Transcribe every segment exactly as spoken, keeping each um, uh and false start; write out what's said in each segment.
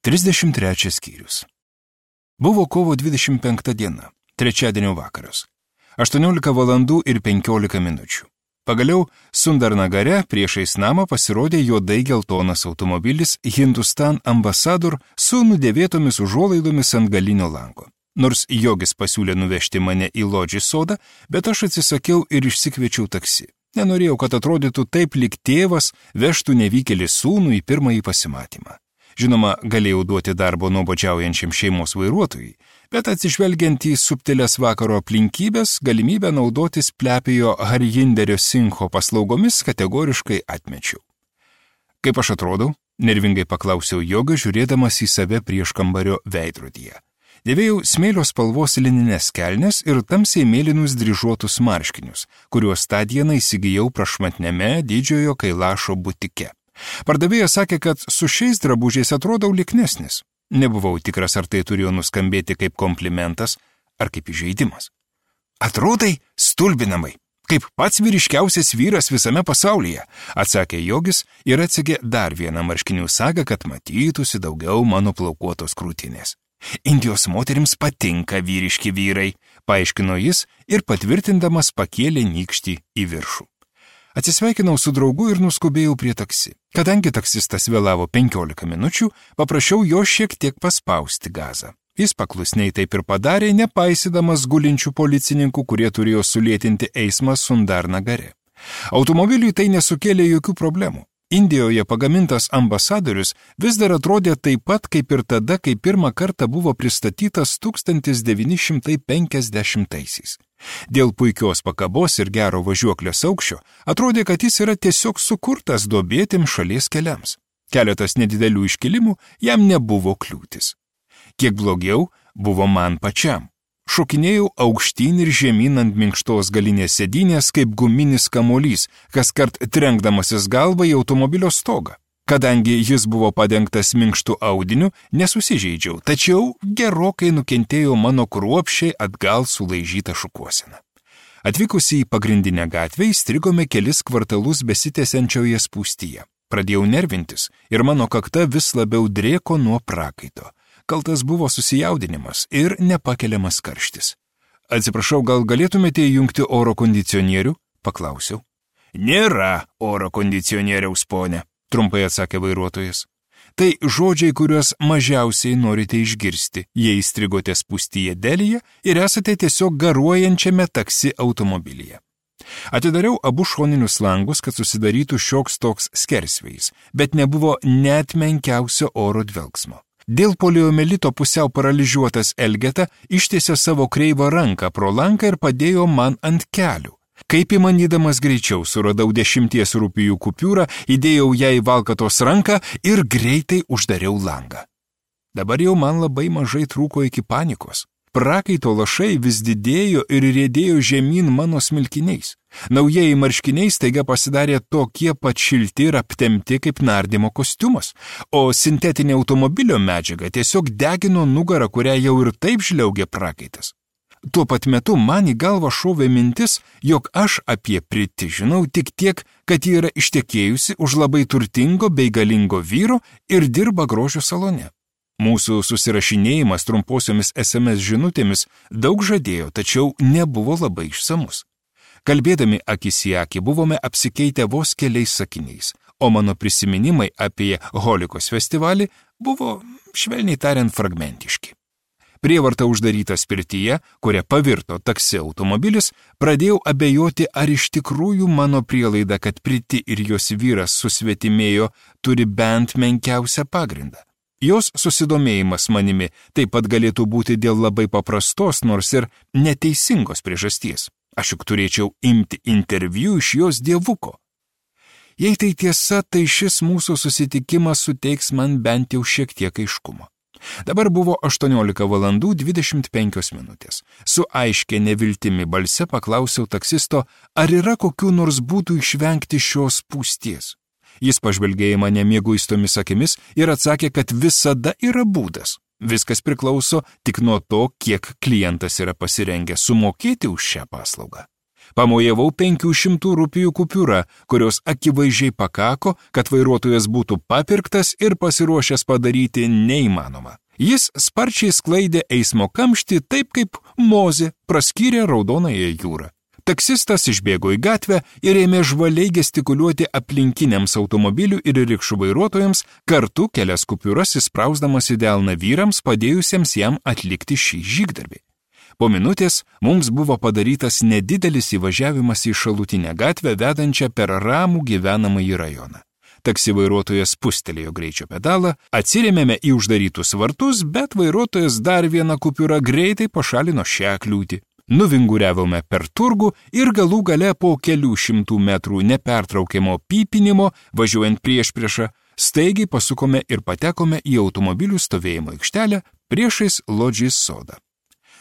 trisdešimt trečias skyrius. Buvo kovo dvidešimt penkta diena, trečiadienio vakaras. aštuoniolika valandų ir penkiolika minučių. Pagaliau Sundarnagare priešais namą pasirodė juodai geltonas automobilis Hindustan Ambassador su nudėvėtomis užuolaidomis ant galinio lango. Nors Jogis pasiūlė nuvežti mane į Lodži sodą, bet aš atsisakiau ir išsikviečiau taksi. Nenorėjau, kad atrodytų taip, lyg tėvas vežtų nevykėlį sūnų į pirmąjį pasimatymą. Žinoma, galėjau duoti darbo nuobodžiaujančiam šeimos vairuotojui, bet atsižvelgiant į subtilės vakaro aplinkybės, galimybę naudotis plepėjo Harjinderio Singho paslaugomis kategoriškai atmečiau. Kaip aš atrodau? Nervingai paklausiau Jogą, žiūrėdamas į save prieš kambario veidrodyje. Dėvėjau smėlio spalvos linines kelnes ir tamsiai mėlynus dryžuotus marškinius, kuriuos tą dieną įsigijau prašmatniame didžiojo Kailašo butike. Pardavėjas sakė, kad su šiais drabužiais atrodau liknesnis. Nebuvau tikras, ar tai turėjo nuskambėti kaip komplimentas ar kaip įžeidimas. Atrodai stulbinamai, kaip pats vyriškiausias vyras visame pasaulyje, atsakė Jogis ir atsegė dar vieną marškinių sagą, kad matytųsi daugiau mano plaukuotos krūtinės. Indijos moterims patinka vyriški vyrai, paaiškino jis ir patvirtindamas pakėlė nykštį į viršų. Atsisveikinau su draugu ir nuskubėjau prie taksi. Kadangi taksistas vėlavo penkiolika minučių, paprašiau jo šiek tiek paspausti gazą. Jis paklusniai taip ir padarė, nepaisydamas gulinčių policininkų, kurie turėjo sulėtinti eismą Sundarnagare. Automobiliui tai nesukėlė jokių problemų. Indijoje pagamintas ambasadorius vis dar atrodė taip pat kaip ir tada, kai pirmą kartą buvo pristatytas tūkstantis devyni šimtai penkiasdešimtaisiais. Dėl puikios pakabos ir gero važiuoklės aukščio atrodė, kad jis yra tiesiog sukurtas duobėtim šalies keliams. Keletas nedidelių iškilimų jam nebuvo kliūtis. Kiek blogiau buvo man pačiam. Šokinėjau aukštyn ir žemyn ant minkštos galinės sėdynės kaip guminis kamuolys, kaskart trenkdamasis galvą į automobilio stogą. Kadangi jis buvo padengtas minkštu audiniu, nesusižeidžiau, tačiau gerokai nukentėjo mano kruopščiai atgal sulaižyta šukuosena. Atvykusi į pagrindinę gatvę įstrigome kelis kvartalus besitęsiančioje spūstyje. Pradėjau nervintis ir mano kakta vis labiau drėko nuo prakaito. Kaltas buvo susijaudinimas ir nepakeliamas karštis. Atsiprašau, gal galėtumėte įjungti oro kondicionierių? Paklausiau. Nėra oro kondicionieriaus, ponė, trumpai atsakė vairuotojas. Tai žodžiai, kuriuos mažiausiai norite išgirsti, jei įstrigote spūstyje Delyje ir esate tiesiog garuojančiame taksi automobilyje. Atidariau abu šoninius langus, kad susidarytų šioks toks skersvėjis, bet nebuvo net menkiausio oro dvelgsmo. Dėl poliomelito pusiau paralyžiuotas Elgeta ištiesė savo kreivą ranką pro lanką ir padėjo man ant kelių. Kaip įmanydamas greičiau suradau dešimties rupijų kupiūrą, įdėjau ją į valkatos ranką ir greitai uždariau langą. Dabar jau man labai mažai trūko iki panikos. Prakaito lašai vis didėjo ir riedėjo žemyn mano smilkiniais. Naujieji marškiniai staiga pasidarė tokie pat šilti ir aptempti kaip nardymo kostiumas, o sintetinė automobilio medžiaga tiesiog degino nugarą, kurią jau ir taip žliaugė prakaitas. Tuo pat metu man į galvą šovė mintis, jog aš apie Priti žinau tik tiek, kad ji yra ištekėjusi už labai turtingo bei galingo vyro ir dirba grožio salone. Mūsų susirašinėjimas trumposiomis es em es žinutėmis daug žadėjo, tačiau nebuvo labai išsamus. Kalbėdami akis į akį buvome apsikeitę vos keliais sakiniais, o mano prisiminimai apie Holikos festivalį buvo, švelniai tariant, fragmentiški. Prievarta uždarytas pirtyje, kuria pavirto taksi automobilis, pradėjau abejoti, ar iš tikrųjų mano prielaida, kad Priti ir jos vyras susvetimėjo, turi bent menkiausią pagrindą. Jos susidomėjimas manimi taip pat galėtų būti dėl labai paprastos, nors ir neteisingos priežasties. Aš juk turėčiau imti interviu iš jos dievuko. Jei tai tiesa, tai šis mūsų susitikimas suteiks man bent jau šiek tiek aiškumo. Dabar buvo aštuoniolika valandų dvidešimt penkios minutės. Su aiškia neviltimi balse paklausiau taksisto, ar yra kokių nors būdų išvengti šios spūsties. Jis pažvelgė į mane mieguistomis akimis ir atsakė, kad visada yra būdas. Viskas priklauso tik nuo to, kiek klientas yra pasirengęs sumokėti už šią paslaugą. Pamojavau penkių šimtų rupijų kupiūra, kurios akivaizdžiai pakako, kad vairuotojas būtų papirktas ir pasiruošęs padaryti neįmanoma. Jis sparčiai sklaidė eismo kamštį taip, kaip Mozė praskyrė Raudonąją jūrą. Taksistas išbėgo į gatvę ir ėmė žvaliai gestikuliuoti aplinkiniams automobilių ir rikšų vairuotojams, kartu kelias kupiūras įsprausdamas į delną vyrams, padėjusiems jam atlikti šį žygdarbį. Po minutės mums buvo padarytas nedidelis įvažiavimas į šalutinę gatvę, vedančią per ramų gyvenamąjį rajoną. Taksi vairuotojas spustelėjo greičio pedalą, atsirėmėme į uždarytus vartus, bet vairuotojas dar vieną kupiūrą greitai pašalino šią kliūtį. Nuvinguriavome per turgų ir galų gale po kelių šimtų metrų nepertraukiamo pypinimo, važiuojant prieš priešą, staigiai pasukome ir patekome į automobilių stovėjimo aikštelę priešais Lodžis sodą.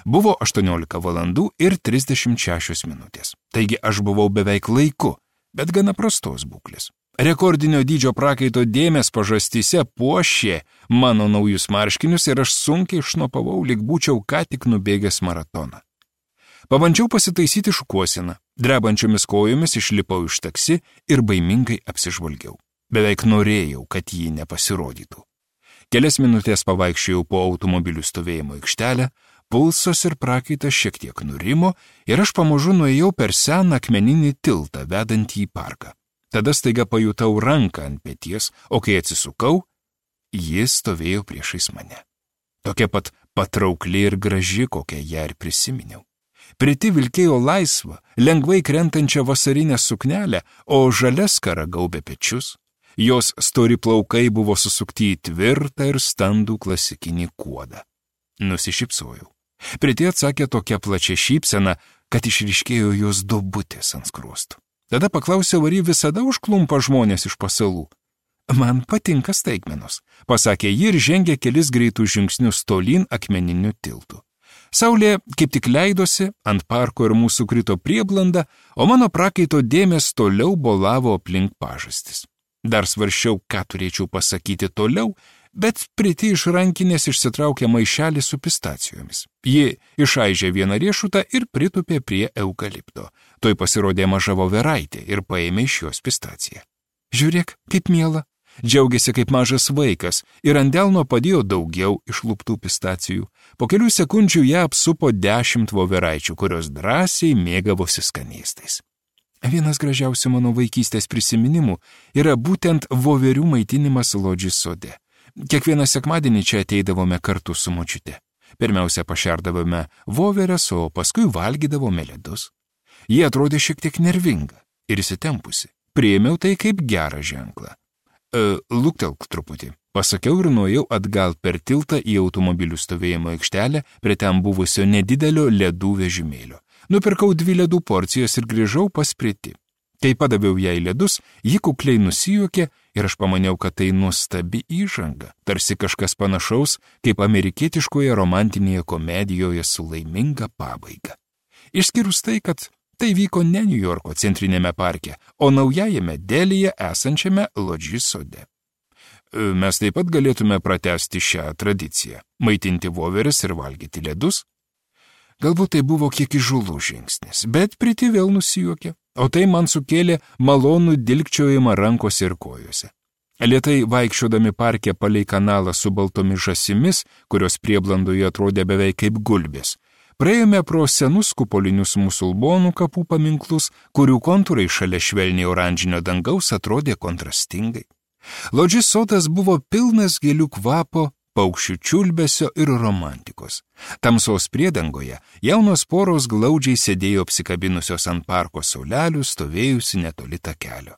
Buvo aštuoniolika valandų ir trisdešimt šešios minutės. Taigi aš buvau beveik laiku, bet gana prastos būklės. Rekordinio dydžio prakaito dėmės pažastyse puošė mano naujus marškinius ir aš sunkiai šnopavau, lyg būčiau ką tik nubėgęs maratoną. Pabandžiau pasitaisyti šukuosiną, drebančiomis kojomis išlipau iš taksi ir baimingai apsižvalgiau. Beveik norėjau, kad jį nepasirodytų. Kelias minutės pavaikščiojau po automobilių stovėjimo aikštelę, pulsas ir prakaitas šiek tiek nurimo ir aš pamažu nuėjau per seną akmeninį tiltą, vedantį į parką. Tada staiga pajutau ranką ant peties, o kai atsisukau, jis stovėjo priešais mane. Tokia pat patraukli ir graži, kokią ją ir prisiminiau. Priti vilkėjo laisvą, lengvai krentančią vasarinę suknelę, o žalia skara gaubė pečius. Jos stori plaukai buvo susukti į tvirtą ir standų klasikinį kuodą. Nusišypsojau. Priti atsakė tokia plačia šypsena, kad išryškėjo jos duobutės ant skruostų. Tada paklausiau, ar ji visada užklumpa žmonės iš pasalų. Man patinka staigmenos, pasakė ji ir žengė kelis greitus žingsnius tolyn akmeniniu tiltu. Saulė kaip tik leidosi, ant parko ir mūsų krito prieblanda, o mano prakaito dėmės toliau bolavo aplink pažastis. Dar svarsčiau, ką turėčiau pasakyti toliau, bet Priti iš rankinės išsitraukė maišelį su pistacijomis. Ji išaižė vieną riešutą ir pritupė prie eukalipto. Toj pasirodė maža voveraitė ir paėmė iš jos pistaciją. Žiūrėk, kaip miela. Džiaugiasi kaip mažas vaikas ir ant delno padėjo daugiau išluptų pistacijų. Po kelių sekundžių ją apsupo dešimt voveraičių, kurios drąsiai mėgavosi skanėstais. Vienas gražiausių mano vaikystės prisiminimų yra būtent voverių maitinimas Lodžis sode. Kiekvieną sekmadienį čia ateidavome kartu su močiute. Pirmiausia pašerdavome voveres, o paskui valgydavome ledus. Jie atrodė šiek tiek nervinga ir įsitempusi. Priėmiau tai kaip gerą ženklą. E, luktelk truputį, pasakiau ir nuėjau atgal per tiltą į automobilių stovėjimo aikštelę prie ten buvusio nedidelio ledų vežimėlio. Nupirkau dvi ledų porcijas ir grįžau pas Priti. Kai padaviau jai ledus, ji kukliai nusijuokė ir aš pamaniau, kad tai nuostabi įžanga, tarsi kažkas panašaus kaip amerikietiškoje romantinėje komedijoje su laiminga pabaiga. Išskyrus tai, kad tai vyko ne Niujorko centrinėme parke, o naujajame Delyje esančiame Lodžis sode. Mes taip pat galėtume pratęsti šią tradiciją, maitinti voveres ir valgyti ledus. Galbūt tai buvo kiek įžūlus žingsnis, bet Priti vėl nusijuokė, o tai man sukėlė malonų dilgčiojimą rankose ir kojose. Lėtai vaikščiodami parke palei kanalą su baltomis žąsimis, kurios prieblandoje atrodė beveik kaip gulbės, praėjome pro senus kupolinius musulmonų kapų paminklus, kurių kontūrai šalia švelniai oranžinio dangaus atrodė kontrastingai. Lodžis sodas buvo pilnas gėlių kvapo, paukščių čiulbesio ir romantikos. Tamsos priedangoje jaunos poros glaudžiai sėdėjo apsikabinusios ant parko saulelių, stovėjusi netoli takelio.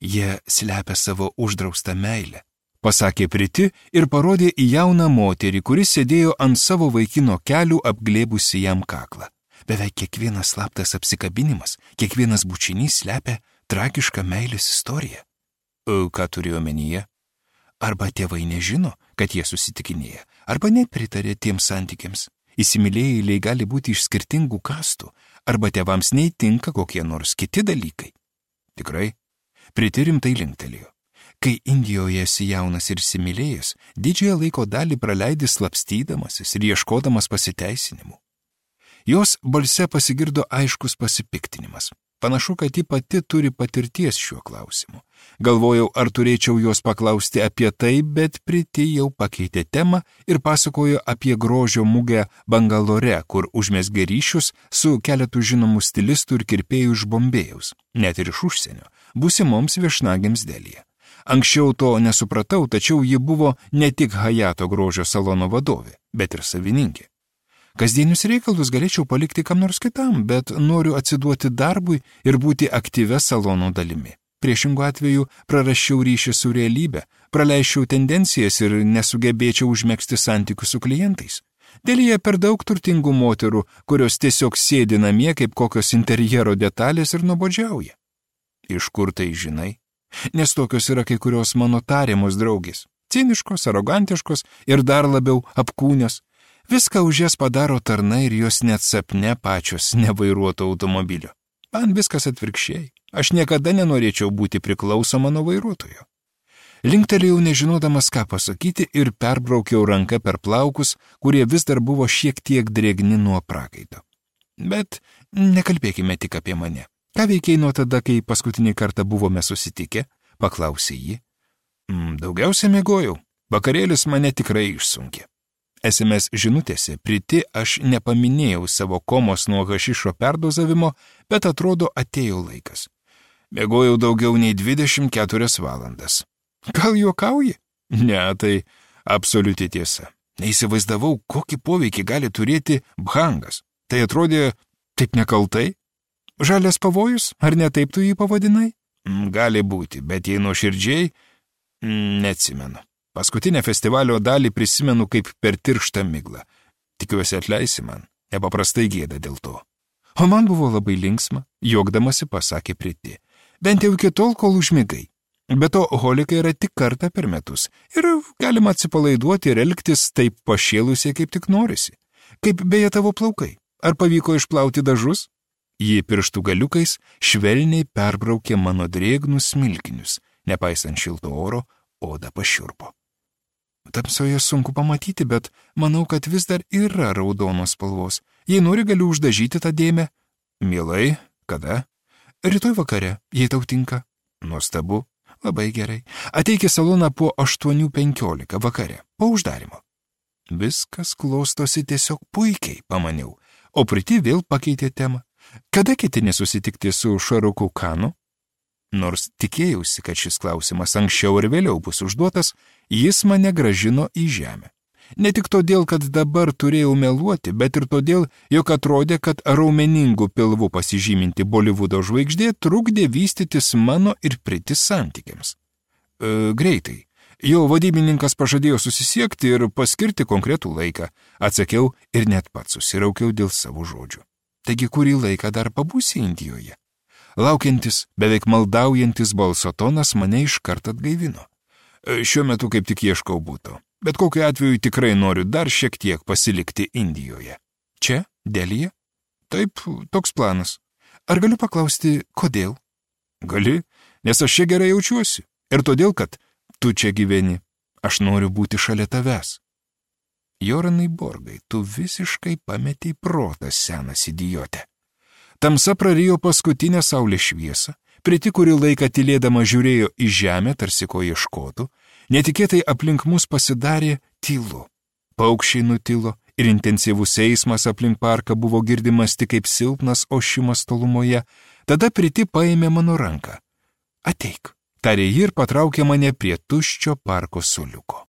Jie slepia savo uždraustą meilę, pasakė Priti ir parodė į jauną moterį, kuris sėdėjo ant savo vaikino kelių apglėbusi jam kaklą. Beveik kiekvienas slaptas apsikabinimas, kiekvienas bučinys slepia tragišką meilės istoriją. O, ką turėjo omenyje? Arba tėvai nežino, kad jie susitikinėja, arba net pritarė tiems santykiams. Įsimylėjėliai gali būti iš skirtingų kastų, arba tėvams neįtinka kokie nors kiti dalykai. Tikrai, Priti rimtai linktelėjo. Kai Indijoje esi jaunas ir įsimylėjęs, didžiąją laiko dalį praleidi slapstydamasis ir ieškodamas pasiteisinimų. Jos balse pasigirdo aiškus pasipiktinimas. Panašu, kad ji pati turi patirties šiuo klausimu. Galvojau, ar turėčiau jos paklausti apie tai, bet Priti jau pakeitė temą ir pasakojo apie grožio mugę Bangalore, kur užmezgė ryšius su keletu žinomų stilistų ir kirpėjų iš Bombėjaus, net ir iš užsienio, būsimoms viešnagėms Delyje. Anksčiau to nesupratau, tačiau ji buvo ne tik Hayato grožio salono vadovė, bet ir savininkė. Kasdienius reikalus galėčiau palikti kam nors kitam, bet noriu atsiduoti darbui ir būti aktyvia salono dalimi. Priešingų atveju prarasčiau ryšį su realybė, praleisčiau tendencijas ir nesugebėčiau užmegzti santykių su klientais. Delyje per daug turtingų moterų, kurios tiesiog sėdi namie kaip kokios interjero detalės ir nuobodžiauja. Iš kur tai žinai? Nes tokios yra kai kurios mano tariamos draugės. Ciniškos, arogantiškos ir dar labiau apkūnios. Viską už jas padaro tarnai ir jos net sapne pačios nevairuoto automobilio. Man viskas atvirkščiai. Aš niekada nenorėčiau būti priklausoma nuo vairuotojo. Linktelėjau nežinodamas, ką pasakyti ir perbraukiau ranką per plaukus, kurie vis dar buvo šiek tiek drėgni nuo prakaito. Bet nekalbėkime tik apie mane. Ką veikiai nuo tada, kai paskutinį kartą buvome susitikę? Paklausė ji. Daugiausia miegojau. Vakarėlis mane tikrai išsunkė. S M S žinutėse Priti aš nepaminėjau savo komos nuo hašišo perdozavimo, bet atrodo atėjo laikas. Miegojau daugiau nei dvidešimt keturias valandas. Gal juokauji? Ne, tai absoliuti tiesa. Neįsivaizdavau, kokį poveikį gali turėti bhangas. Tai atrodė taip nekaltai. Žalias pavojus, ar ne taip tu jį pavadinai? Gali būti, bet jei nuoširdžiai, neatsimenu. Paskutinę festivalio dalį prisimenu kaip per tirštą miglą. Tikiuosi atleisi man, nepaprastai gėda dėl to. O man buvo labai linksma, juokdamasi pasakė Priti. Bent jau iki tol, kol užmigai. Be to, holikai yra tik kartą per metus ir galima atsipalaiduoti ir elgtis taip pašėlusiai, kaip tik norisi. Kaip beje tavo plaukai. Ar pavyko išplauti dažus? Ji pirštų galiukais švelniai perbraukė mano drėgnus smilkinius. Nepaisant šilto oro, oda pašiurpo. Tamsoje sunku pamatyti, bet manau, kad vis dar yra raudonos spalvos. Jei nori, galiu uždažyti tą dėmę. Mielai, kada? Rytoj vakare, jei tau tinka. Nuostabu, labai gerai. Ateik į saloną po aštuonių penkiolika vakare, po uždarimo. Viskas klostosi tiesiog puikiai, pamaniau, o Priti vėl pakeitė temą. Kada ketini susitikti su Šaruku Kanu? Nors tikėjausi, kad šis klausimas anksčiau ir vėliau bus užduotas, jis mane gražino į žemę. Ne tik todėl, kad dabar turėjau meluoti, bet ir todėl, jog atrodė, kad raumeningų pilvų pasižyminti Bolivudo žvaigždė trukdė vystytis mano ir Priti santykiams. E, greitai. Jo vadybininkas pažadėjo susisiekti ir paskirti konkretų laiką, atsakiau ir net pats susiraukiau dėl savo žodžių. Taigi kurį laiką dar pabūsi Indijoje? Laukiantis, beveik maldaujantis balso tonas mane iškart atgaivino. Šiuo metu kaip tik ieškau būto, bet kokiu atveju tikrai noriu dar šiek tiek pasilikti Indijoje. Čia, Delyje? Taip, toks planas. Ar galiu paklausti, kodėl? Gali, nes aš čia gerai jaučiuosi. Ir todėl, kad tu čia gyveni. Aš noriu būti šalia tavęs. Joranai Borgai, tu visiškai pametei protą, senas idiotė. Tamsa prarijo paskutinę saulės šviesą, Priti kurį laiką tylėdama žiūrėjo į žemę, tarsi ko ieškotų, netikėtai aplink mus pasidarė tylu. Paukščiai nutilo ir intensyvus eismas aplink parką buvo girdimas tik kaip silpnas ošimas tolumoje, tada Priti paėmė mano ranką. Ateik, tarė ji ir patraukė mane prie tuščio parko suoliuko.